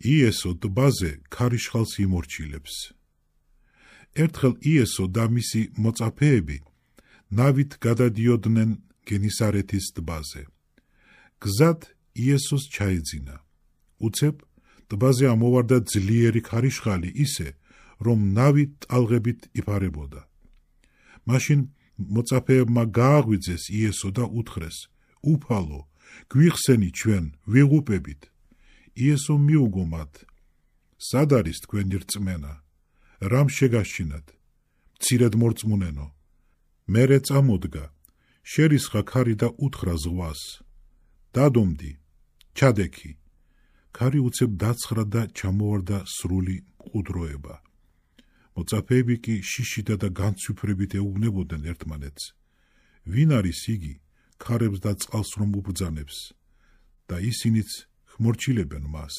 იესო ტბაზე ქარიშხალს იმორჩილებს. ერთხელ იესო და მისი მოწაფეები ნავით გადადიოდნენ გენისარეთის ტბაზე. გზად იესოს ჩაეძინა. უცებ ტბაზე ამოვარდა ძლიერი ქარიშხალი ისე, რომ ნავი ტალღებით იფარებოდა. მაშინ მოწაფეებმა გააღვიძეს იესო და უთხრეს: უფალო, გვიხსენი ჩვენ, ვიღუპებით. იესო მიუგო მათ: სად არის თქვენი რწმენა? რამ შეგაშინათ? მცირედ მორწმუნენო. მერე წამოდგა, შერისხა ქარი და უთხრა ზღვას: დადომდი, ჩადექი. ქარი უცებ დაცხრა და ჩამოვარდა სრული მყუდროება. მოწაფეები კი შიშიდა და განცვიფრებით ეუბნებოდნენ ერთმანეთს: ვინ არის იგი, ქარებს და წყალს რომ უბრძანებს? და ისინიც ხმორჩილებენ მას.